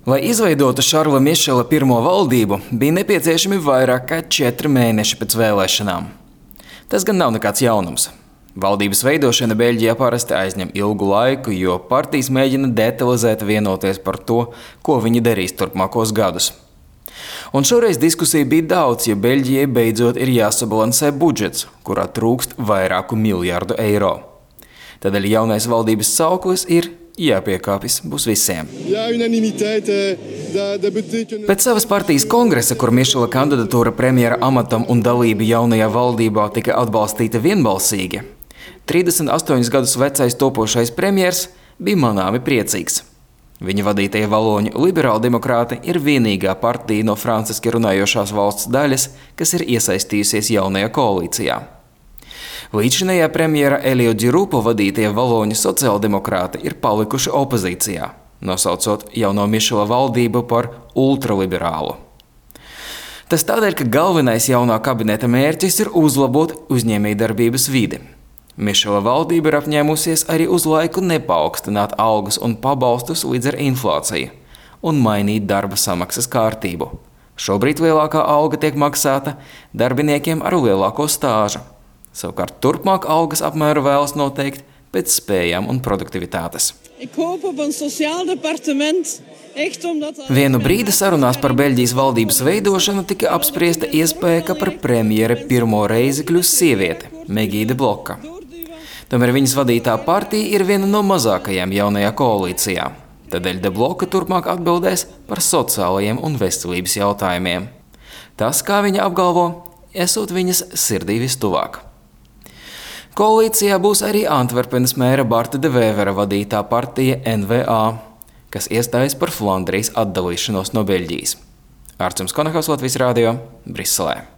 Lai izveidotu Šarla Mišela pirmo valdību, bija nepieciešami vairāk kā 4 mēneši pēc vēlēšanām. Tas gan nav nekāds jaunums. Valdības veidošana Beļģijā parasti aizņem ilgu laiku, jo partijas mēģina detalizēti vienoties par to, ko viņi darīs turpmākos gadus. Un šoreiz diskusija bija daudz, jo Beļģijai beidzot ir jāsabalansē budžets, kurā trūkst vairāku miljardu eiro. Tādēļ jaunais valdības sauklis ir jāpiekāpjas būs visiem. Pēc savas partijas kongresa, kur Mišela kandidatūra premjera amatam un dalība jaunajā valdībā tika atbalstīta vienbalsīgi, 38 gadus vecais topošais premjers bija manāmi priecīgs. Viņa vadītie valoņu liberāldemokrāti ir vienīgā partija no franciski runājošās valsts daļas, kas ir iesaistījusies jaunajā koalīcijā. Līdzinējā premjera Elio Di Rupo vadītie valoņu sociāldemokrāti ir palikuši opozīcijā, nosaucot jauno Mišela valdību par ultraliberālu. Tas tādēļ, ka galvenais jaunā kabineta mērķis ir uzlabot uzņēmējdarbības vidi. Mišela valdība ir apņēmusies arī uz laiku nepaukstināt algas un pabalstus līdz ar inflāciju un mainīt darba samaksas kārtību. Šobrīd lielākā alga tiek maksāta darbiniekiem ar lielāko stāžu. Savukārt turpmāk algas apmēru vēlas noteikt pēc spējām un produktivitātes. Vienu brīdi sarunās par Beļģijas valdības veidošanu tika apspriesta iespēja, ka par premjeri pirmo reizi kļūs sieviete, Megija De Bloka. Tomēr viņas vadītā partija ir viena no mazākajām jaunajā koalīcijā. Tādēļ De Bloka turpmāk atbildēs par sociālajiem un veselības jautājumiem. Tas, kā viņa apgalvo, esot viņas sirdī vistuvāk. Koalīcijā būs arī Antverpenes mēra Barta de Vēvera vadītā partija NVA, kas iestājas par Flandrijas atdalīšanos no Beļģijas. Artjums Konahaus, Latvijas radio, Briselē.